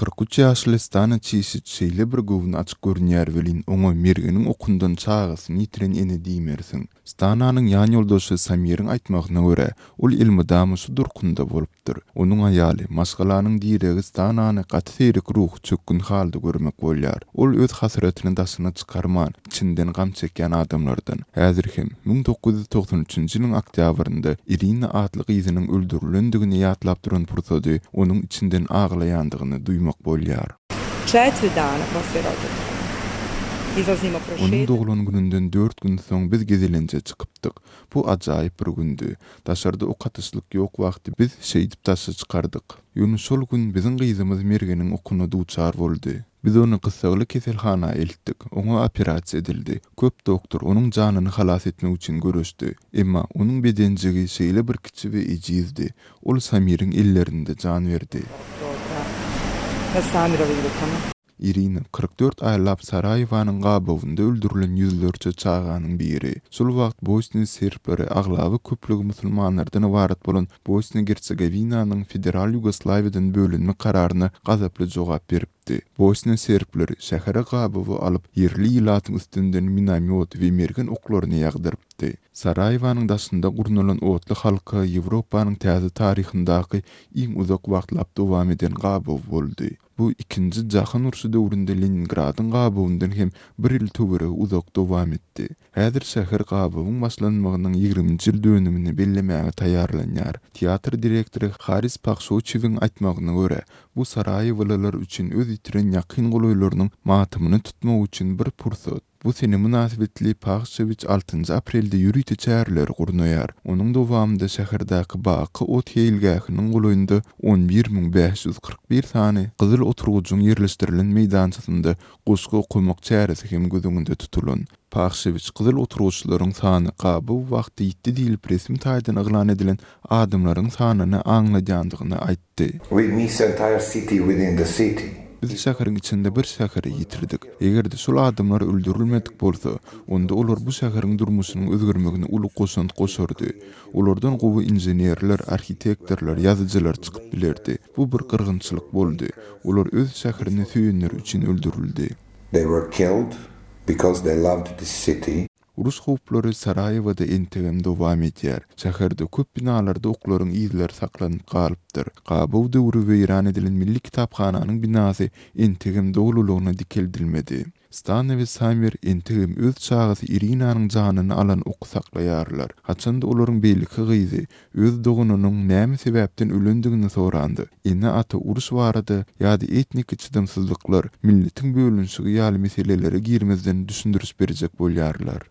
43 ýaşly Stana Çişiç şeýle bir göwni açyk görünýär welin, oňa mergeniň okundan çagasyny ýitiren ene diýmersiň. Stananyň ýanýoldaşy Samiriň aýtmagyna görä, ol elmydama şu durkunda bolupdyr. Onuň aýaly, maşgalanyň diregi Stanany gaty seýrek ruhy çökgün halda görmek bolýar. Ol öz hasratyny daşyna çykarman, içinden gam çekýän adamlardan. Häzir hem, 1993-nji ýylyň oktýabrynda Irina atly gyzynyň öldürilendigini ýatlap duran pursady onuň içinden aglaýandygyny duýmak bolýar. Četiri dana poslije rođendana izlazimo Onuň prošetati. doglan gününden dört gün soň biz gezelenje çykypdyk. Bu ajaýyp bir gündi. Daşarda ok atyşlyk ýok wagty biz şeýdip daşa çykardyk. Ýöne şol gün biziň gyzymyz Mergeniň okuna duçar boldy. Biz ony gyssagly keselhana eltdik. Oňa operasiýa edildi. Köp doktor onuň janyny halas etmek üçin göreşdi. Emma onuň bedenjigi şeýle bir kiçi we ejizdi. Ol Samiriň ellerinde jan berdi. Na Samirovim rukama. Irina 44 aýlap Saraýewanyň gabawynda öldürilen ýüzlerçe çaganyň biri. Şol wagt Bosniýa serbleri aglaba köplügi musulmanlardan ybarat bolan Bosniýa-Gersegowinanyň Federal Ýugoslawiýadan bölünmek kararyna gazaply jogap beripdi. Bosniýa serbleri şähere gabawa alyp, ýerli ilatyň üstünden minomýot we mergen oklaryny ýagdyrypdy. Saraýewanyň daşynda gurnalan otly halka Ýewropanyň täze taryhyndaky iň uzak wagtlap dowam eden gabaw boldy. Bu Ikinji jahan urşy döwründe Leningradyň gabawyndan hem bir ýyl töweregi uzak dowam etdi. Häzir şäher gabawyň başlanmagynyň ýigriminji ýyl dönümini bellemäge taýýarlanýar. Teatr direktory Haris Pahşoçewiň aýtmagyna görä, bu saraýewalylar üçin öz ýitiren ýakyn-golaýlarynyň matamyny tutmak üçin bir pursat. Bu sene mynasybetli Pahşewiç altynjy aprelde ýörite çäreleri gurnaýar. Onuň dowamynda şäherdäki Baky ot seýilgähiniň golaýynda 11 541 sany gyzyl oturgyjyň ýerleşdirilen meýdançasynda goşgy okamak çäresi hem göz öňünde tutulan. Pahşewiç gyzyl oturgyçlaryň sany gabaw wagty ýitdi diýlip resmi taýdan yglan edilen adamlaryň sanyny aňladýandygyny aýtdy. We miss entire city within the city. Biz şäheriň içinde bir şäheri ýitirdik. Eger-de şol adamlar öldürilmedik bolsa, onda olar bu şäheriň durmuşynyň özgermegine uly goşant goşardy. Olardan gowy inženerler, arhitektorlar, ýazyjylar çykyp bilerdi. Bu bir gyrgynçylyk boldy. Olar öz şäherini söýenleri üçin öldürildi. They were killed because they loved this city. Uruş howplary Saraýewada entegem dowam edýär. Şäherde köp binalarda oklaryň yzlary saklanyp galypdyr. Gabaw döwri weýran edilen Milli kitaphananyň binasy entegem dolulygyna dikeldilmedi. Stana we Samir entegem öz çagasy Irinanyň janyny alan oky saklaýarlar. Haçanda olaryň beýleki gyzy öz doganynyň näme sebäpden ölendigini soranda, ene-ata uruş barada ýa-da etniki çydamsyzlyklar, milletiň bölünişigi ýaly meselelere girmezden düşündiriş berjek bolýarlar.